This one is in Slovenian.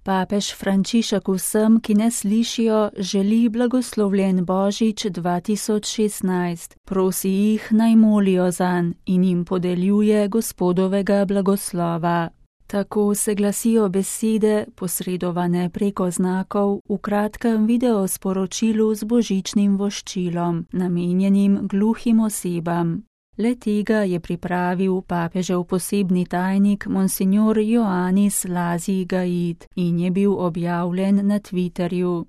Papež Frančišek vsem, ki ne slišijo, želi blagoslovljen Božič 2016. Prosi jih, naj molijo zanj in jim podeljuje Gospodovega blagoslova. Tako se glasijo besede, posredovane preko znakov, v kratkem videosporočilu z božičnim voščilom, namenjenim gluhim osebam. Le tega je pripravil papežev posebni tajnik Monsignor Ioannis Lazi Gaid in je bil objavljen na Twitterju.